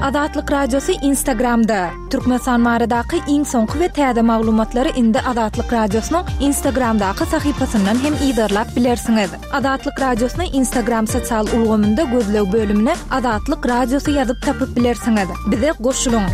Azatlyk Radiosy Instagramda, Türkmenistan baradaky iň soňky we täze maglumatlary indi Azatlyk Radiosynyň Instagramdaky sahypasyndan hem yzarlap bilersiňiz. Azatlyk Radiosyny Instagram sosial ulgamynda gözleg bölümine Azatlyk Radiosy ýazyp tapyp bilersiňiz. Bize goşulyň!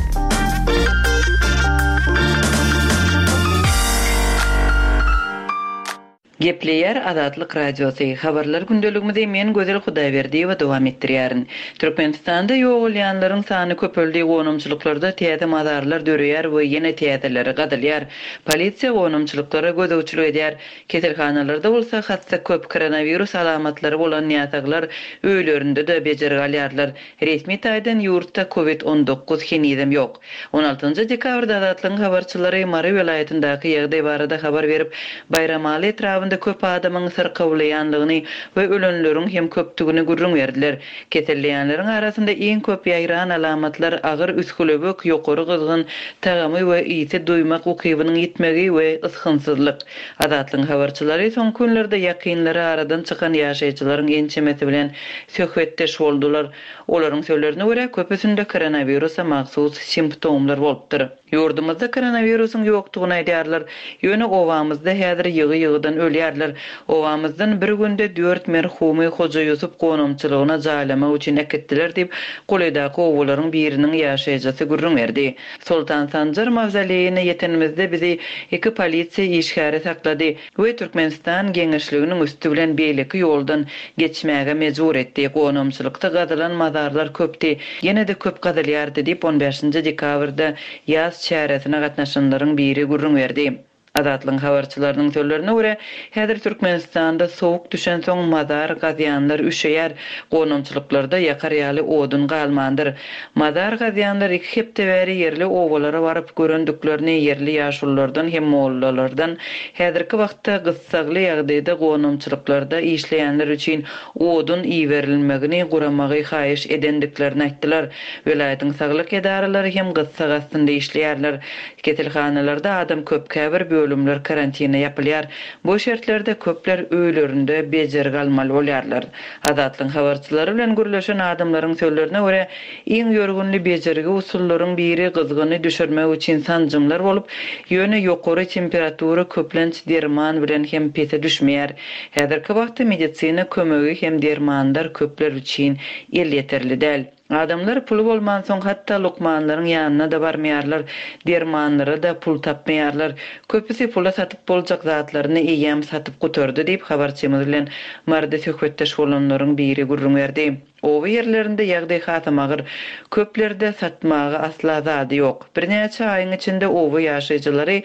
Gepleýär Azatlyk Radiosy, Habarlar gündeligimizi men Gözel Hudaýberdiýewa dowam etdirýärin. Türkmenistanda ýogalýanlaryň sany köpeldi, gonamçylyklarda täze mazarlar döreýär we ýene täzeleri gazylýar. Polisiýa gonamçylyklara gözegçilik edýär. Keselhanalarda bolsa hassa köp, koronawirus alamatlary bolan näsaglar öýlerinde-de bejergi alýarlar. Resmi taýdan ýurtda covid 19 henizem ýok. On altynjy dekabrda Azatlygyň habarçylary Mary welaýatyndaky ýagdaý barada habar berip, Baýramaly etrabynda köp adamyň syrkawlaýanlygyny we ölenleriň hem köpdügini gürrüň berdiler. Keselleýänleriň arasynda iň köp ýaýran alamatlar agyr üsgülewük, ýokary gyzgyn, tagamy we ysy duýmak ukybynyň ýitmegi we ysgynsyzlyk. Azatlygyň habarçylary soňky günlerde ýakynlary aradan çykan ýaşaýjylaryň ençemesi bilen söhbetdeş boldular. Olaryň sözlerine görä, köpüsinde koronawirusa mahsus simptomlar bolupdyr. Ýurdumyzda koronawirusyň ýokdugyny aýdýarlar, ýöne obamyzda häzir ýygy-ýygydan ölýärler. Obamyzdan bir günde dört merhumy Hoja Ýusup gonamçylygyna jaýlamak üçin äkitdiler diýip, golaýdaky obalaryň biriniň ýaşaýjysy gürrüň berdi. Soltan Sanjar mawzoleýine ýetenimizde bizi iki polisiýa işgäri saklady. We Türkmenistan geňeşliginiň üsti bilen beýleki ýoldan geçmäge mejbur etdi. Gonamçylykda gazylan mazarlar köpdi, ýene-de köp gazylýardy diýip, on bäşinji dekabrda ýas çäresine gatnaşanlaryň biri gürrüň berdi. Azatlygyň habarçylarynyň sözlerine görä, häzir Türkmenistanda sowuk düşensoň mazar gazýanlar üşeýär, gonamçylyklarda ýakar ýaly odun galmandyr. Mazar gazýanlar iki hepde bäri ýerli obalara baryp görendiklerini ýerli ýaşululardan hem mollalardan häzirki wagtda gyssagly ýagdaýda gonamçylyklarda işleýänler üçin odun iberilmegini guramagy haýyş edendiklerini aýtdylar. Welaýatyň saglyk edaralary hem gyssag astynda işleýärler. Keselhanalarda adam köp, käbir bölümler karantine ýapylýar. Bu şertlerde köpler öýlerinde bejergi almaly bolýarlar. Azatlygyň habarçylary bilen gürleşen adamlaryň sözlerine görä, iň ýörgünli bejergi usullaryň biri gyzgyny düşürmek üçin sanjymlar bolup, ýöne ýokary temperatura köplenç derman bilen hem pese düşmeýär. Häzirki wagtda medisina kömegi hem dermanlar köpler üçin elýeterli däl. Adamlar puly bolmansoň hatda lukmanlaryň ýanyna-da barmaýarlar, dermanlara-da pul tapmaýarlar. Köpüsi pula satyp boljak zatlaryny eýýäm satyp gutardy diýip, habarçymyz bilen Maryda söhbetdeş bolanlaryň biri gürrüň berdi. Oba ýerlerinde ýagdaý hasam agyr. Köplerde satmaga asla zady ýok. Birnäçe aýyň içinde oba ýaşaýjylary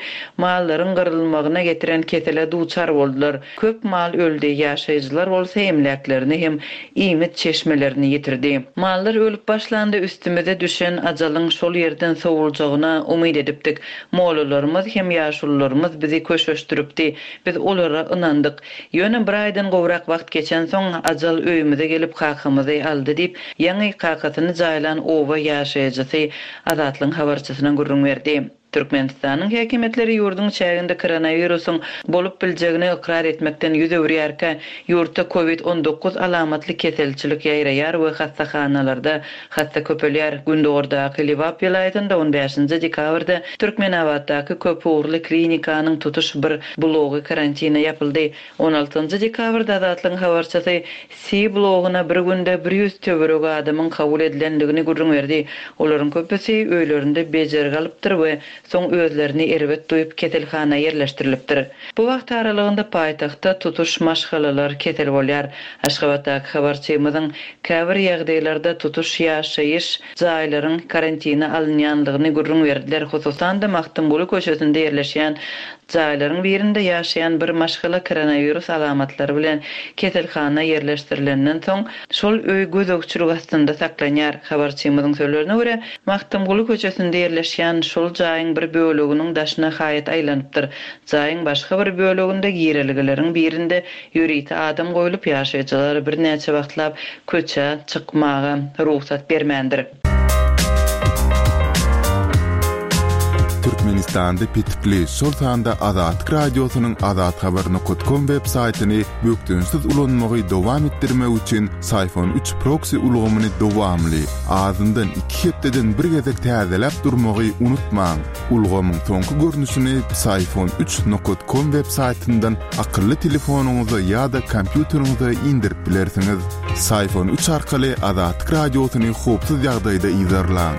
mallaryň gyrylmagyna getiren kesele duçar boldular. Köp mal öldi, ýaşaýjylar bolsa emläklerini hem iýmit çeşmelerini ýitirdi. Mallar ölüp başlanda üstümize düşen ajalyň şol ýerden sowuljagyna umyt edipdik. Mollalarymyz hem ýaşulularymyz bizi köşeşdiripdi. Biz olara ynandyk. Ýöne bir aýdan gowrak wagt geçensoň, ajal öýümize gelip kakamyzy aldy diýip, ýaňy kakasyny jaýlan oba ýaşaýjysy Azatlygyň habarçysyna gürrüň berdi. Türkmenistanyň häkimiýetleri ýurduň çäginde koronawirusyň bolup biljegini ykrar etmekden ýüz öwürýärkä, ýurtda covid 19 alamatly keselçilik ýaýraýar we hassahanalarda hassa köpelýär. Gündogardaky Lebap welaýatynda on bäşinji dekabrda Türkmenabatdaky köpugurly klinikanyň tutuş bir blogy karantine ýapyldy. On altynjy dekabrda Azatlygyň habarçysy Si bloguna bir günde bir ýüz töweregi adamyň kabul edilendigini gürrüň berdi. Olaryň köpüsi öýlerinde bejergi alypdyr we soň özlerini erbet duýup keselhana ýerleşdirilipdir. Bu wagt aralygynda paýtagtda tutuş maşgalalar kesel bolýar. Aşgabatdaky habarçymyzyň käbir ýagdaýlarda tutuş ýaşaýyş jaýlaryň karantine alynýanlygyny gürrüň berdiler, hususan-da Magtymguly köçesinde ýerleşýän jaýlaryň birinde ýaşaýan bir maşgala koronawirus alamatlary bilen keselhana ýerleşdirilenden soň, şol öý gözegçilik astynda saklanýar. Habarçymyzyň sözlerine görä, Magtymguly köçesinde ýerleşýän şol jaýyň bir böleginiň daşyna haýat aýlanypdyr. Jaýyň başga bir böleginde girelgeleriň birinde ýörite adam goýlup, ýaşaýjylara birnäçe wagtlap köçä çykmaga rugsat bermändir. Türkmenistanda petikli, şol sanda Azatlyk Radiosynyň azathabar nokat kom web saýtyny bökdençsiz ulanmagy dowam etdirmek üçin Syfon üç proksi ulgamyny dowamly, azyndan iki hepdeden bir gezek täzeläp durmagy unutmaň. Ulgamyň soňky görnüşini Psiphon üç nokat kom web saýtyndan akylly telefonyňyza ýa-da kompýuteriňize indirip bilersiňiz. Psiphon üç arkaly Azatlyk Radiosyny howpsuz ýagdaýda yzarlaň.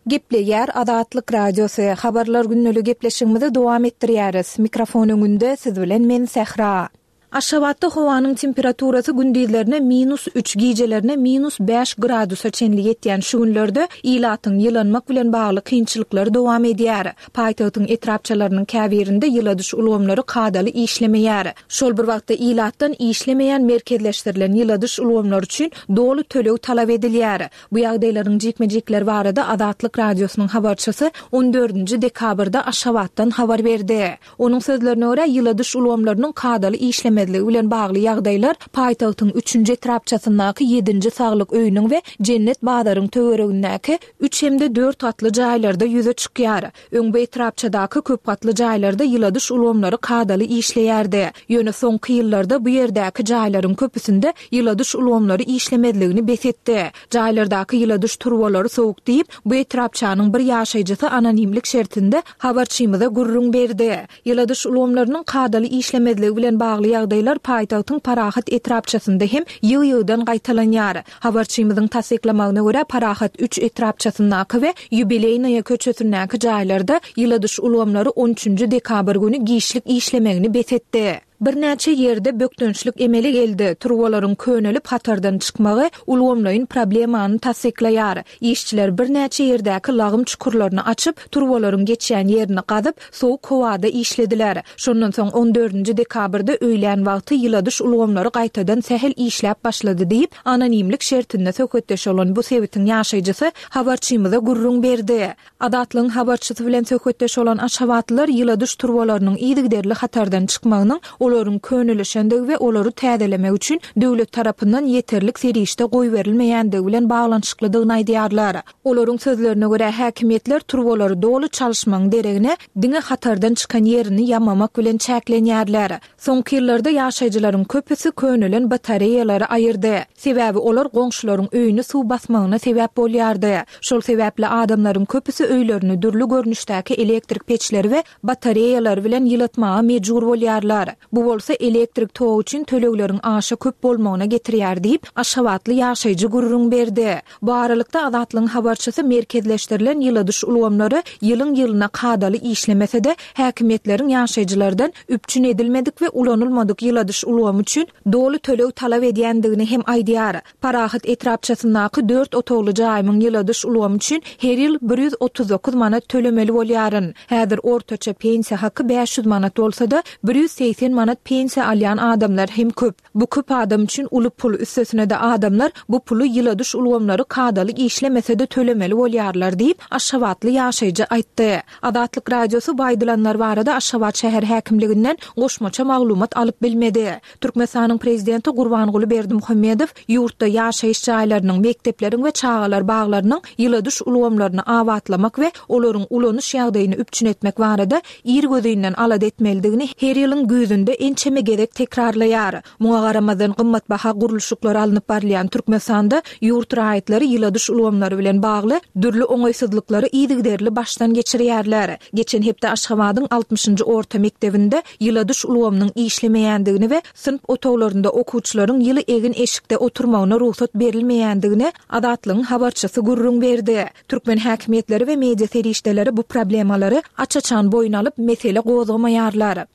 Gepleýär Azatlyk Radiosy, Habarlar gündeli gepleşigimizi dowam etdirýäris. Mikrofon öňünde siz bilen men Sähra. Aşgabatda howanyň temperaturasy gündizlerine minus üç, gijelerine minus bäş gradusa çenli ýetýän şu günlerde ilatyň ýylanmak bilen bagly kynçylyklary dowam edýär. Paýtagtyň etrapçalarynyň käbirinde ýyladyş ulgamlary kadaly işlemeýär. Şol bir wagtda ilatdan işlemeýän merkezleşdirilen ýyladyş ulgamlary üçin doly töleg talap edilýär. Bu ýagdaýlaryň jikme-jikleri barada Azatlyk Radiosynyň habarçysy on dördünji dekabrda Aşgabatdan habar berdi. Onuň sözlerine görä, ýyladyş ulgamlarynyň kadaly işlemezligi bilen bagly ýagdaýlar paýtagtyň üçünji etrapçasyndaky ýedinji saglyk öýüniň we Jennet bazaryň töweregindäki üç hem-de dört gatly jaýlarda ýüze çykýar. Öň bu etrapçadaky köp gatly jaýlarda ýyladyş ulgamlary kadaly işleýärdi. Ýöne soňky ýyllarda bu ýerdäki jaýlaryň köpüsinde ýyladyş ulgamlary işlemezligini bes etdi. Jaýlardaky ýyladyş turbalary sowuk diýip, bu etrapçanyň bir ýaşaýjysy anonimlik şertinde habarçymyza gürrüň berdi. Ýyladyş ulgamlarynyň kadaly işlemezligi bilen bagly ýagdaýlar paýtagtyň Parahat etrapçasynda hem ýygy-ýygydan gaýtalanýar. Habarçymyzyň tassyklamagyna görä, Parahat üç etrapçasyndaky we Ýubileýnaýa köçesindäki jaýlarda ýyladyş ulgamlary on üçünji dekabr güni giçlik işlemegini bes etdi. Birnäçe ýerde bökdençlik emele geldi, turbalaryň könelip hatardan çykmagy ulgamlaýyn problemany tassyklaýar. Işçiler birnäçe ýerdäki lagym çukurlaryny açyp, turbalaryň geçýän ýerini gazyp, sowuk howada işlediler. Şondan soň on dördünji dekabrda öýlän wagty ýyladyş ulgamlary gaýtadan sähel işläp başlady diýip, anonimlik şertinde söhbetdeş bolan bu sebitiň ýaşaýjysy habarçymyza gürrüň berdi. Azatlygyň habarçysy bilen söhbetdeş bolan aşgabatlylar ýyladyş turbalarynyň yzygiderli hatardan çykmagynyň olaryň könelişendigi we olary täzelemek üçin döwlet tarapyndan ýeterlik serişde goýberilmeýändigi bilen baglanyşyklydygyny aýdýarlar. Olaryň sözlerine görä, häkimiýetler turbalary doly çalyşmagyň deregine, diňe hatardan çykan ýerini ýamamak bilen çäklenýärler. Soňky ýyllarda ýaşaýjylaryň köpüsi könelen batareýalary aýyrdy. Sebäbi olar goňşularyň öýüni suw basmagyna sebäp bolýardy. Şol sebäpli adamlaryň köpüsi öýlerini dürli görnüşdäki elektrik peçleri we batareýalary bilen ýylatmaga mejbur bolýarlar. Bu bolsa elektrik togy üçin tölegleriň aşa köp bolmagyna getirýär diýip, aşgabatly ýaşaýjy gürrüň berdi. Bu aralykda, Azatlygyň habarçysy merkezleşdirilen ýyladyş ulgamlary ýylyň-ýylyna kadaly işlemese-de, häkimiýetleriň ýaşaýjylardan üpjün edilmedik we ulanylmadyk ýyladyş ulgamy üçin doly töleg talap edýändigini hem aýdýar. Parahat etrapçasyndaky dört otagly jaýymyň ýyladyş ulgamy üçin her ýyl 139 manat tölemeli bolýaryn. Häzir ortaça pensiýa haky 500 manat bolsa-da, 180 manat pensiýa alýan adamlar hem köp. Bu köp adam üçin uly pul, üstesine-de adamlar bu puly ýyladyş ulgamlary kadaly işlemese-de tölemeli bolýarlar diýip, aşgabatly ýaşaýjy aýtdy. Azatlyk Radiosy bu aýdylanlar barada Aşgabat şäher häkimliginden goşmaça maglumat alyp bilmedi. Türkmenistanyň prezidenti Gurbanguly Berdimuhamedow ýurtda ýaşaýyş jaýlarynyň, mekdepleriň we çagalar baglarynyň ýyladyş ulgamlaryny abatlamak we olaryň ulanyş ýagdaýyny üpjün etmek barada irgözinden alada etmelidigini her ýylyň güýzünde ençeme gezek tekrarlaýar. Muňa garamazdan, gymmatbaha gurluşyklar alnyp barylýan Türkmenistanda ýurt raýatlary ýyladyş ulgamlary bilen bagly dürli oňaýsyzlyklary yzygiderli başdan geçirýärler. Geçen hepde Aşgabadyň altmyşynjy orta mekdebinde ýyladyş ulgamynyň işlemeýändigini we synp otaglarynda okuwçylaryň ýyly egin-eşikde oturmagyna rugsat berilmeýändigini Azatlygyň habarçysy gürrüň berdi. Türkmen häkimiýetleri we media serişdeleri bu problemalary aç-açan boýun alyp, mesele gozgamaýarlar.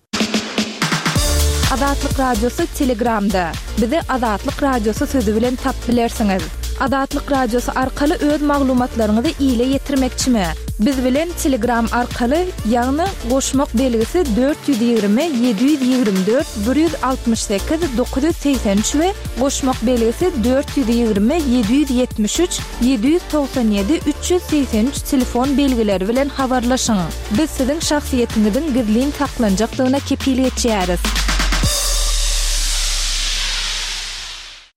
Azatlyk Radiosy Telegramda, Bizi Azatlyk Radiosy sözi bilen tapyp bilersiňiz. Azatlyk Radiosy arkaly öz maglumatlaryňyzy ile ýetirmekçimi? Biz bilen Telegram arkaly, ýagny goşmak belgisi 420 724 168 983 we goşmak belgisi 420 773 797 383 telefon belgileri bilen habarlaşyň. Biz siziň şahsyýetiňiziň gizlin saklanjakdygyna kepil geçýäris.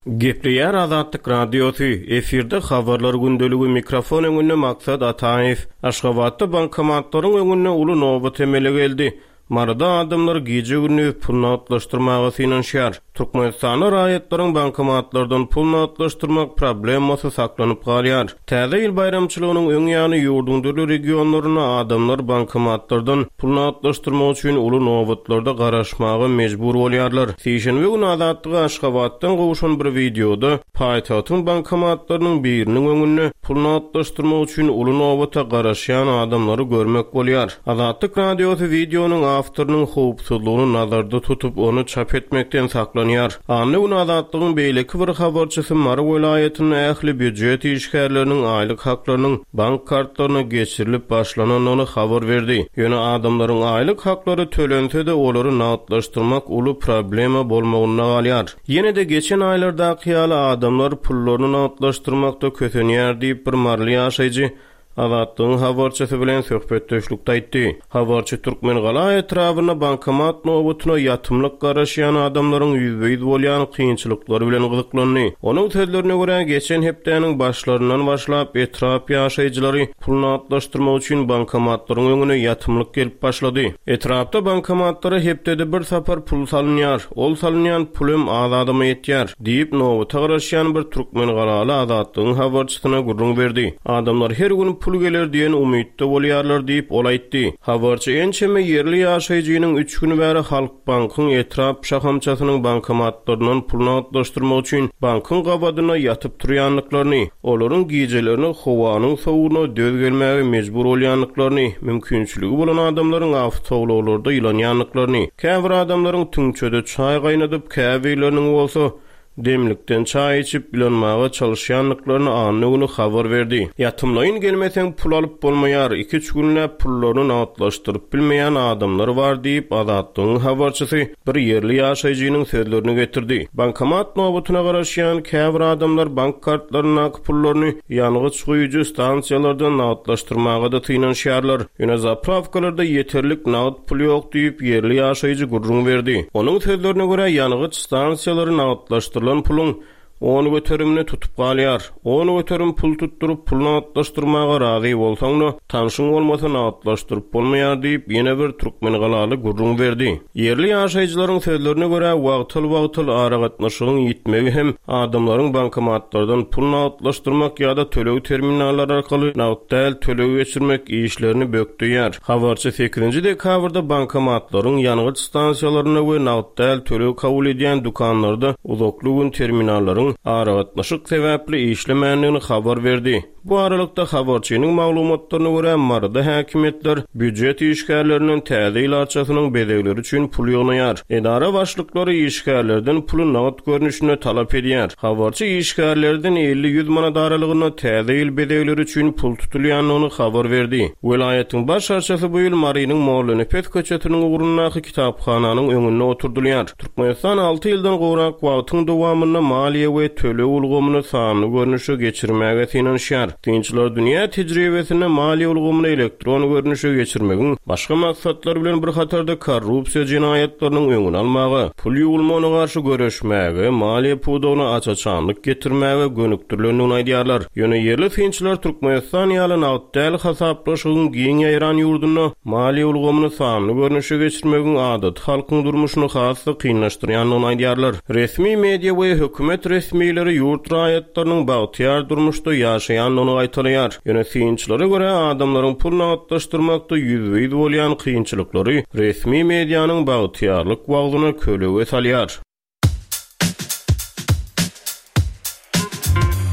Gepleýär Azatlyk Radiosy, efirde Habarlar gündeligi, mikrofon öňünde Maksat Ataýew. Aşgabatda bankomatlaryň öňünde uly nobat emele geldi. Maryda adamlar gije-gündiz pul nagtlaşdyrmaga synanyşýar. Türkmenistanda raýatlaryň bankomatlardan pul nagtlaşdyrmak problemasy saklanyp galýar. Täze ýyl baýramçylygynyň öň ýany ýurduň dürli regionlarynda adamlar bankomatlardan pul nagtlaşdyrmak üçin uly nobatlarda garaşmaga mejbur bolýarlar. Sişenbe güni Azatlyga Aşgabatdan gowşan bir wideoda paýtagtyň bankomatlarynyň biriniň öňünde pul nagtlaşdyrmak üçin uly nobata garaşýan adamlary görmek bolýar. Azatlyk Radiosy wideonyň awtorynyň howpsuzlygyny nazarda tutup, ony çap etmekden saklanýar. Anna güni Azatlygyň beýleki bir habarçysy Mary welaýatynda ähli býujet işgärleriniň aýlyk haklarynyň bank kartlaryna geçirilip başlanandygyny habar berdi. Ýöne adamlaryň aýlyk haklary tölense-de, olary nagtlaşdyrmak uly problema bolmagynda galýar. Ýene-de geçen aýlardaky ýaly adamlar pullaryny nagtlaşdyrmakda kösenýär diýip, bir maryly ýaşaýjy Azatlygyň habarçysy bilen söhbetdeşlikde aýtdy. Habarçy Türkmengala etrabynda bankomat nobatyna ýatymlyk garaşýan adamlaryň ýüzbe-ýüz bolýan kynçylyklary bilen gyzyklandy. Onuň sözlerine görä, geçen hepdäniň başlaryndan başlap, etrap ýaşaýjylary pul nagtlaşdyrmak üçin bankomatlaryň öňüne ýatymlyk gelip başlady. Etrapda bankomatlara hepdede bir sapar pul salynýar. Ol salynýan pul hem az adama ýetýär. Diýip, nobata garaşýan bir türkmengalaly Azatlygyň habarçysyna gürrüň berdi. Adamlar her gün pul geler diýen umytda bolýarlar diýip, ol aýtdy. Habarçy ençeme ýerli ýaşaýjynyň üç gün bäri Halkbankyň etrap şahamçasynyň bankomatlaryndan pul nagtlaşdyrmak üçin bankyň gabadynda ýatyp turýandyklaryny, olaryň gijelerine howanyň sowugyna döz gelmäge mejbur bolýandyklaryny, mümkinçiligi bolan adamlaryň awtoulaglarda ýylanýandyklaryny, Käbir adamlaryň tüňçede çaý gaýnadyp, käbirleriniň bolsa, demlikden çaý içip, ýylanmaga çalyşýandyklaryny anna güni habar berdi. Ýatymlaýyn gelmeseň pul alyp bolmaýar, iki-üç günläp pullaryny nagtlaşdyryp bilmeýän adamlar bar diýip, Azatlygyň habarçysy bir ýerli ýaşaýjynyň sözlerini getirdi. Bankomat nobatyna garaşýan käbir adamlar bank kartlaryndaky pullaryny ýangyç guýujy stansiýalarda nagtlaşdyrmaga-da synanyşýarlar. Ýöne zaprawkalarda ýeterlik nagt pul ýok diýip, ýerli ýaşaýjy gürrüň berdi. Onuň sözlerine görä, ýangyç stansiýalary nagtlaşdyrylan puluň on göterimini tutup galýar. 10% pul tutduryp, pul nagtlaşdyrmaga razy bolsaň-da, tanşyň bolmasa nagtlaşdyryp bolmaýar diýip, ýene bir türkmengalaly gürrüň berdi. Ýerli ýaşaýjylaryň sözlerine görä, wagtal-wagtal aragatnaşygyň ýitmegi hem adamlaryň bankomatlardan pul nagtlaşdyrmak ýa-da töleg terminallary arkaly nagt däl töleg geçirmek işlerini bökdeýär. Habarçy sekizinji dekabrda bankomatlaryň, ýangyç stansiýalarynda we nagt däl töleg kabul edýän dükanlarda uzakly gün terminallaryň aragatnaşyk sebäpli işlemändigini habar berdi. Bu aralykda, habarçynyň maglumatlaryna görä, Maryda häkimiýetler býujet işgärlerinden Täze ýyl arçasynyň bezegleri üçin pul ýygnaýar. Edara başlyklary işgärlerden puly nagt görnüşinde talap edýär. Habarçy işgärlerden 50-ýüz manat aralygynda Täze ýyl bezegleri üçin pul tutulýandygyny habar berdi. Welaýatyň baş arçasy bu ýyl Marynyň Mollanepes köçesiniň ugrundaky kitaphananyň öňünde oturdylýar. Türkmenistan alty ýyldan gowrak wagtyň dowamynda maliýe we töleg ulgamyny sanly görnüşe geçirmäge synanyşýar. Synçylar dünýä tejribesinde maliýe ulgamyny elektron görnüşe geçirmegiň başga maksatlar bilen bir hatarda korrupsiýa jenaýatlarynyň öňüni almaga, pul ýuwulmagyna garşy göreşmäge, maliýe pudagyna aç-açanlyk getirmäge gönükdirilendigini aýdýarlar. Ýöne ýerli synçylar Türkmenistan ýaly nagt däl hasaplaşygyň giň ýaýran ýurdunda maliýe ulgamyny sanly görnüşe geçirmegiň adaty halkyň durmuşyny has-da kynlaşdyrýandygyny aýdýarlar. Resmi media we hökümet resmileri ýurt raýatlarynyň bagtyýar durmuşda ýaşaýandygyny gaýtalaýar. Ýöne synçylara görä, adamlaryň pul nagtlaşdyrmakda ýüzbe-ýüz bolýan kynçylyklary resmi medianyň bagtyýarlyk wagzyna kölege salýar.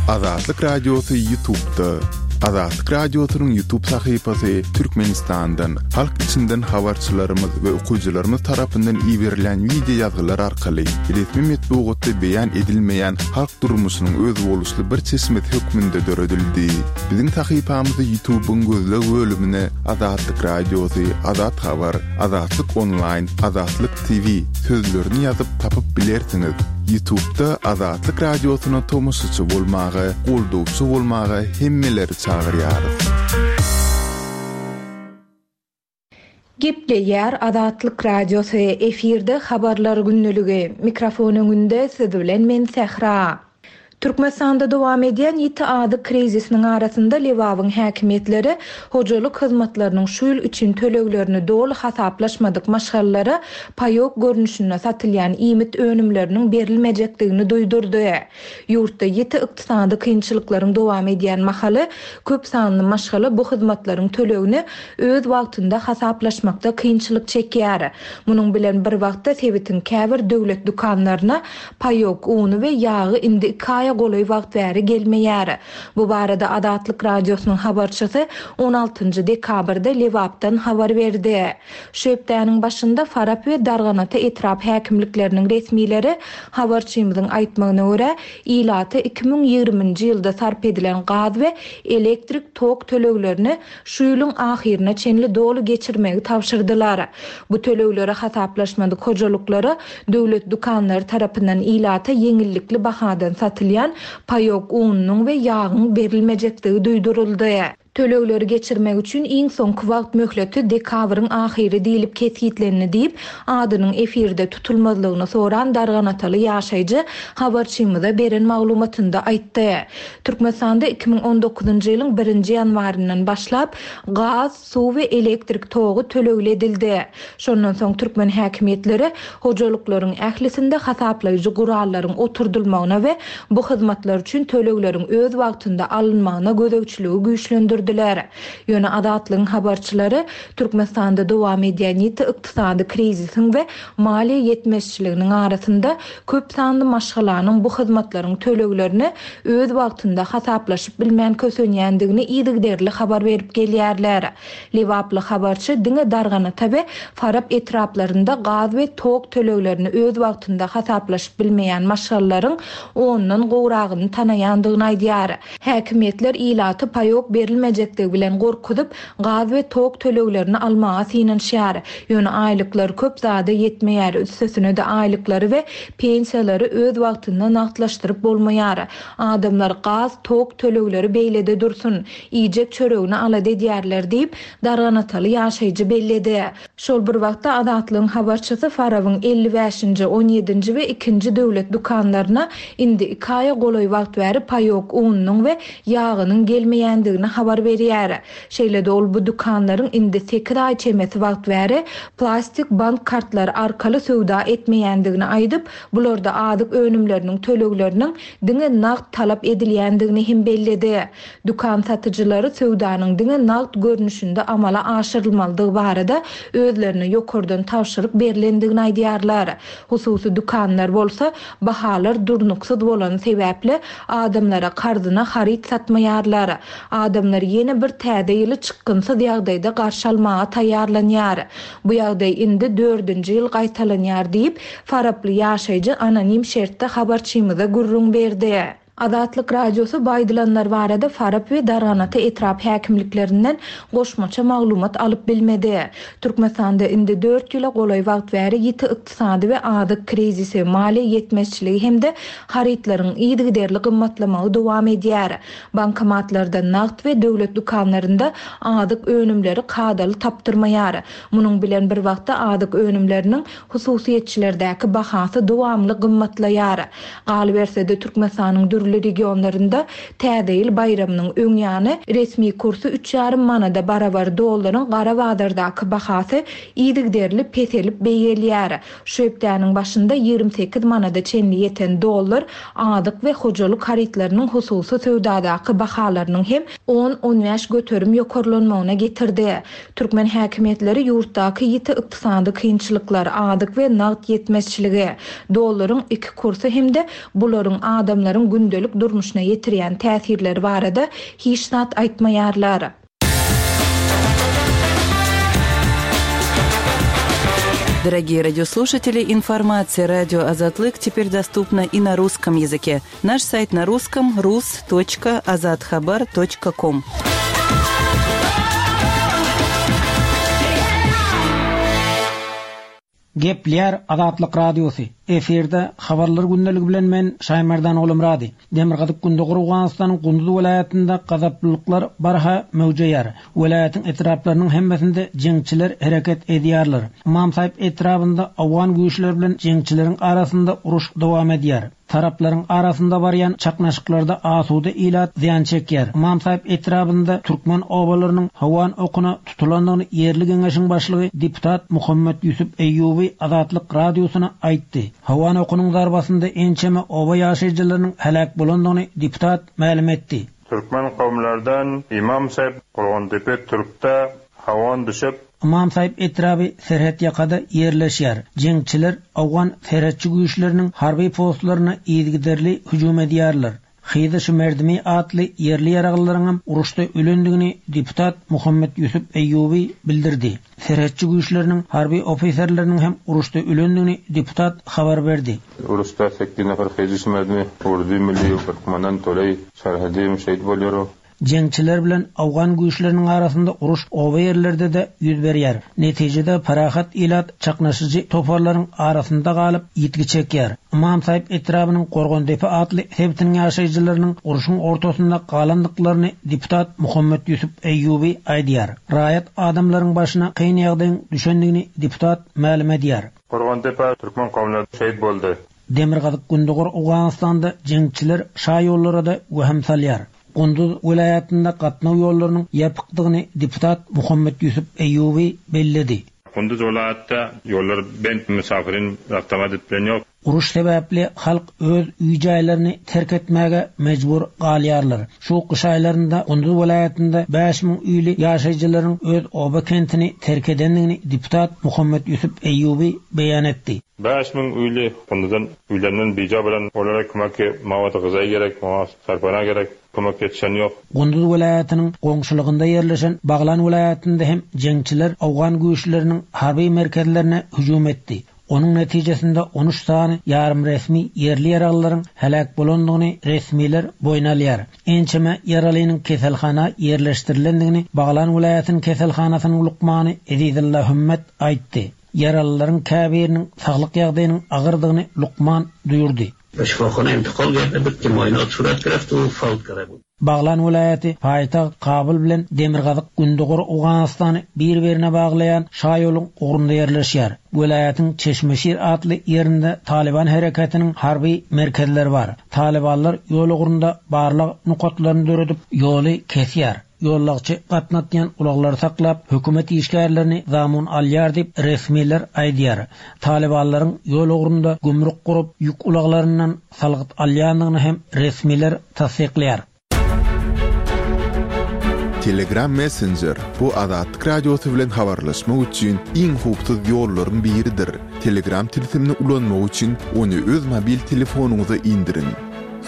Azatlyk Radiosy Ýutubda. Azatlyk Radiosynyň Ýutub sahypasy Türkmenistandan, halk içinden habarçylarymyz we okyjylarymyz tarapyndan iberilýän wideo ýazgylar arkaly resmi metbugatda beýan edilmeýän halk durmuşynyň özboluşly bir çeşmesi hökmünde döredildi. Biziň sahypamyzy Ýutubyň gözleg bölümine Azatlyk Radiosy, Azat Habar, Azatlyk Onlaýn, Azatlyk TV sözlerini ýazyp tapyp bilersiňiz. Ýutubda Azatlyk Radiosyna tomaşaçy bolmaga, goldawçy bolmaga hemmeleri çagyrýarys. Gepleýär Azatlyk Radiosy, efirde Habarlar gündeligi. Mikrofon öňünde siz bilen men Sähra. Türkmenistanda dowam edýän ýiti azyk krizisiniň arasynda Lebabyň häkimiýetleri hojalyk hyzmatlarynyň şu ýyl üçin töleglerini doly hasaplaşmadyk maşgalalara paýok görnüşinde satylýan iýmit önümleriniň berilmejekdigini duýdurdy. Ýurtda ýiti ykdysady kynçylyklaryň dowam edýän mahaly, köp sanly maşgala bu hyzmatlaryň tölegini öz wagtynda hasaplaşmakda kynçylyk çekýär. Munuň bilen bir wagtda sebitiň käbir döwlet dükanlaryna paýok uny we ýagy indi iki aýa golaý wagt bäri gelmeýär. Bu barada Azatlyk Radiosynyň habarçysy on altynjy dekabrda Lebapdan habar berdi. Şu hepdäniň başynda Farap we Darganata etrap häkimlikleriniň resmileri habarçymyzyň aýtmagyna görä, ilata 2020-nji ýylda sarp edilen gaz we elektrik tok töleglerini şu ýylyň ahyryna çenli doly geçirmegi tabşyrdylar. Bu tölegleri hasaplaşmadyk hojalyklara döwlet dükanlary tarapyndan ilata ýeňillikli bahadan satylýan paýok ununyň we ýagyň berilmejekdigi duýduryldy. Tölegleri geçirmek üçin iň soňky wagt möhleti dekabryň ahyry diýlip kesgitlendi diýip, adynyň efirde tutulmazlygyny soran darganataly ýaşaýjy habarçymyza beren maglumatynda aýtdy. Türkmenistanda 2019-njy ýylyň birinji ýanwaryndan başlap gaz, suw we elektrik togy tölegli edildi. Şondan soň türkmen häkimiýetleri hojalyklaryň ählisinde hasaplaýjy gurallaryň oturdylmagyna we bu hyzmatlar üçin tölegleriň öz wagtynda alynmagyna gözegçiligi güýçlendirdiler. Ýöne Azatlygyň habarçylary Türkmenistanda dowam edýän ýiti ykdysady krizisiň we maliýe ýetmezçiliginiň arasynda köp sanly maşgalanyň bu hyzmatlaryň töleglerini öz wagtynda hasaplaşyp bilmän kösenýändigini yzygiderli habar berip gelýärler. Lebaply habarçy diňe Darganata we Farap etraplarynda gaz we tok töleglerini öz wagtynda hasaplaşyp bilmeýän maşgalalaryň ondan gowragyny tanaýandygyny aýdýar. Häkimiýetler ilaty paýok berilmejekdigi bilen gorkuzyp, gaz we tok töleglerini almaga synanyşýar. Ýöne aýlyklar köp zada ýetmeýär, üstesine-de aýlyklary we pensiýalary öz wagtynda nagtlaşdyryp bolmaýar. Adamlar gaz, tok tölegleri beýlede dursun, iýjek çöregini alada edýärler diýip, darganataly ýaşaýjy belledi. Şol bir wagtda, Azatlygyň habarçysy Farabyň 55-nji, on ýedinji we ikinji döwlet dükanlaryna indi iki aýa golaý wagt bäri paýok ununyň we ýagynyň gelmeýändigini habar berýär. Şeýle-de ol bu dükanlaryň indi sekiz aý çemesi wagt bäri plastik bank kartlary arkaly söwda etmeýändigini aýdyp, bularda azyk önümleriniň tölegleriniň diňe nagt talap edilýändigini hem belledi. Dükan satyjylary söwdanyň diňe nagt görnüşinde amala aşyrylmalydygy barada özlerine ýokardan tabşyryk berlendigini aýdýarlar. Hususy dükanlar bolsa, bahalar durnuksyz bolany sebäpli, adamlara karzyna haryt satmaýarlar. Adamlar ýene bir täze ýyly çykgynsyz ýagdaýda garşy almaga taýýarlanýar. Bu ýagdaý indi dördünji ýyl gaýtalanýar diýip, faraply ýaşaýjy anonim şertde habarçymyza gürrüň berdi. Azatlyk Radiosy bu aýdylanlar barada Farap we Darganata etrap häkimliklerinden goşmaça maglumat alyp bilmedi. Türkmenistanda indi dört ýyla golaý wagt bäri ýiti ykdysady we azyk krizisi, maliýe ýetmezçiligi hem-de harytlaryň yzygiderli gymmatlamagy dowam edýär. Bankomatlarda nagt we döwlet dükanlarynda azyk önümleri kadaly tapdyrmaýar. Munuň bilen bir wagtda azyk önümleriniň hususyýetçilerdäki bahasy dowamly gymmatlaýar. Galyberse-de, Türkmenistanyň dürli regionlarynda Täze ýyl baýramynyň öň ýany resmi kursy üç ýarym manada barabar dollaryň gara bazardaky bahasy yzygiderli peselip beýgelýär. Şu hepdäniň başynda 28 manada çenli ýeten dollar azyk we hojalyk harytlarynyň hususy söwdadaky bahalarynyň hem on-on bäş göterim ýokarlanmagyna getirdi. Türkmen häkimiýetleri ýurtdaky ýiti ykdysady kynçylyklar, azyk we nagt ýetmezçiligi, dollaryň iki kursy hem-de bularyň adamlaryň gündelik durmuşyna ýetirýän täsirleri barada hiç zat aýtmaýarlar. Дорогие радиослушатели, информация радио Азатлык теперь доступна и на русском языке. Наш сайт на русском rus.azathabar.com. Gepleýär Azatlyk Radiosy. Efirde Habarlar gündeligi bilen men Şaýmerdan Ogulmyrady. Demirgazyk-Gündogar Owganystanyň Gunduz welaýatynda gazaplylyklar barha möwjeýär. Welaýatyň etraplarynyň hemmesinde jeňçiler hereket edýärler. Ymamsaýyp etrabynda owgan güýçleri bilen jeňçileriň arasynda uruş dowam edýär. Taraplaryň arasynda barýan çaknaşyklarda asuda ilat zyýan çekýär. Ymamsaýyp etrabynda türkmen obalarynyň hawan okuna tutulandygyny ýerli geňeşiň başlygy deputat Muhammet Ýusup Eýýuby Azatlyk Radiosyna aýtdy. Hawan okunyň zarbasynda ençeme oba ýaşaýjylarynyň heläk bolandygyny deputat mälim etdi. Türkmen kowumlardan Ymam Saýyp Gorgandepe Türkde hawan düşüp, Ymam Saýyp etraby serhetýakada ýerleşýär. Jeňçiler owgan serhetçi güýçleriniň harby postlaryna yzygiderli hüjüm edýärler. Hyzy Şumerdimi atly ýerli ýaraglylaryňam uruşda ölendigini deputat Muhammet Ýusup Eýýuby bildirdi. Serhetçi güýçleriniň harby ofiserleriniň hem uruşda ölendigini deputat habar berdi. Uruşda sekiz nefer Hyzy Şumerdimi urdy milli Türkmenden Toleý Şerhedi şehit bolýar. Jeňçiler bilen owgan güýçleriniň arasynda uruş oba ýerlerde-de ýüz berýär. Netijede parahat ilat çaknaşyjy toparlaryň arasynda galyp, ýitgi çekýär. Ymamsaýyp etrabynyň Gorgandepe atly sebitiniň ýaşaýjylarynyň urşuň ortasynda galandyklaryny deputat Muhammet Ýusup Eýýuby aýdýar. Raýat adamlaryň başyna kyn ýagdaýyň düşendigini deputat mälim edýär. Gorgandepe türkmen kowumlary şehit boldy. Demirgazyk-gündogar Owganystanda jeňçiler şaýollara-da wehim salýar. Gunduz welaýatynda gatnaw ýollarynyň ýapykdygyny deputat Muhammet Ýusup Eýýuby belledi. Gunduz welaýatda ýollar bent müsafirin raftamad edip bilen ýok. Uruş sebäpli halk öz öý-jaýlaryny terk etmäge mejbur galýarlar. Şu gyş aýlarynda Gunduz welaýatynda 5000 öýli ýaşaýjylaryň öz oba-kentini terk edendigini deputat Muhammet Ýusup Eýýuby beýan etdi. 5000 öýli Gunduzdan öýlerinden bija bolan olara kömek mawady gyzaý gerek, oňa sarpana gerek, kömek ýetişen ýok. Gunduz welaýatynyň goňşulygynda ýerleşen Baglan welaýatynda hem jeňçiler owgan güýçleriniň harby merkezlerine hüjüm etdi. Onuň netijesinde on üç sany ýarym resmi ýerli ýaraglylaryň heläk bolandygyny resmiler boýun alýar. Ençeme ýaralynyň keselhana ýerleşdirilendigini Baglan welaýatynyň keselhanasynyň lukmany Ezizulla Hümmet aýtdy. Ýaralylaryň käbiriniň saglyk ýagdaýynyň agyrdygyny lukman duýurdy. Şypahana intikal gerdi bud ki muaýenat surat gereft u fawt kerde bud. Baglan welaýaty paýtagt Kabul bilen demirgazyk-gündogar Owganystany bir-birine baglaýan şaýoluň ugrunda ýerleşýär. Welaýatyň Çeşmeşir atly ýerinde Talyban hereketiniň harby merkezleri bar. Talybanlar ýol ugrunda barlag nokatlaryny döredip, ýoly kesýär. Ýolagçy gatnatýan ulaglary saklap, hökümet işgärlerini zamun alýar diýip, resmiler aýdýar. Talybanlaryň ýol ugrunda gümrük gurup, ýük ulaglaryndan salgyt alýandygyny hem resmiler tassyklaýar. Telegram Messenger, bu Azatlyk Radiosy bilen habarlaşmak üçin iň howpsuz ýollaryň biridir. Telegram tilsimini ulanmak üçin ony öz mobil telefonyňyza indiriň.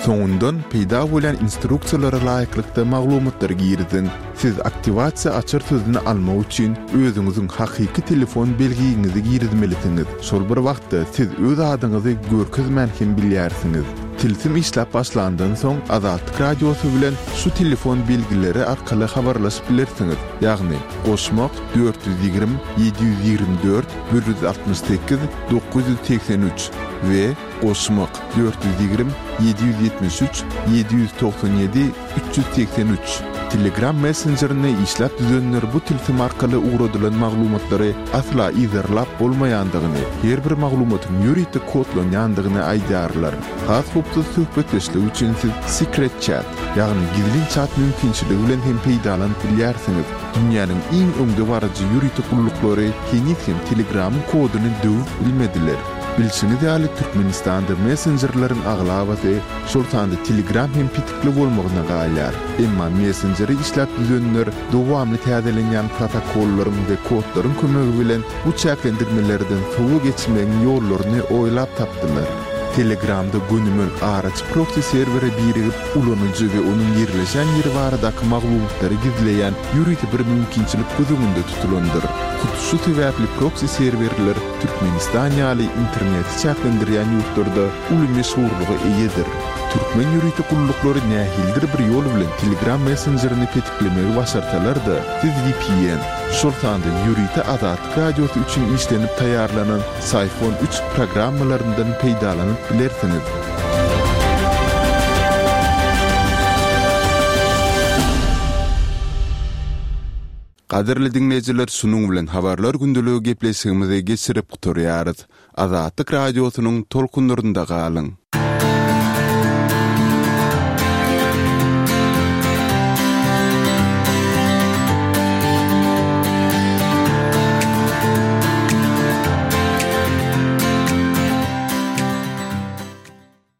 Soňundan peýda bolýan instruksiýalara laýyklykda maglumatlary giriziň. Siz aktiwasiýa açar sözüni almak üçin özüňiziň hakyky telefon belgiňizi girizmelisiňiz. Şol bir wagtda siz öz adyňyzy görkezmän hem bilýärsiňiz. Tilsim işläp başlandan soň Azatlyk Radiosy bilen şu telefon belgileri arkaly habarlaşyp bilersiňiz, ýagny, goşmak, 420 724 168 983 we Goşmak, 420 773 797 383. Telegram messenjerini işläp düzenler bu tilsim arkaly ugradylan maglumatlary asla yzarlap bolmaýandygyny, her bir maglumatyň ýörite kodlanýandygyny aýdýarlar. Has howpsuz söhbetdeşlik üçin siz Secret Chat, ýagny gizlin çat mümkinçiligi bilen hem peýdalanyp bilýärsiňiz. Dünýäniň iň öňdebaryjy ýörite gulluklary heniz hem Telegramyň koduny döwüp bilmediler. Bilşiňiz ýaly, Türkmenistanda messenjerleriň aglabasy, şol sanda Telegram hem petikli bolmagyna galýar. Emma messenjeri işläp düzenler dowamly täzelenýän protokollaryň we kodlaryň kömegi bilen bu çäklendirmelerden sowa geçmegiň ýollaryny oýlap tapdylar. Telegramda gönümel araçy proksi serwere birigip, ulanyjy we onuň ýerleşen ýeri baradaky maglumatlary gizleýän ýörite bir mümkinçilik göz öňünde tutulandyr. Hut şu sebäpli proksi serwerler Türkmenistan ýaly interneti çäklendirýän ýurtlarda uly meşhurlyga eýedir. Türkmen ýörite gulluklary nähilidir bir ýol bilen Telegram messenjerini petiklemegi başarsalar-da, siz vpn, şol sanda ýörite Azatlyk Radiosy üçin işlenip taýýarlanan Syphon üç programmalaryndan peýdalanyp bilersiňiz. Gadyrly diňleýjiler şunuň bilen Habarlar gündeligi gepleşigimizi geçirip gutarýarys. Azatlyk Radiosynyň tolkunlarynda galyň!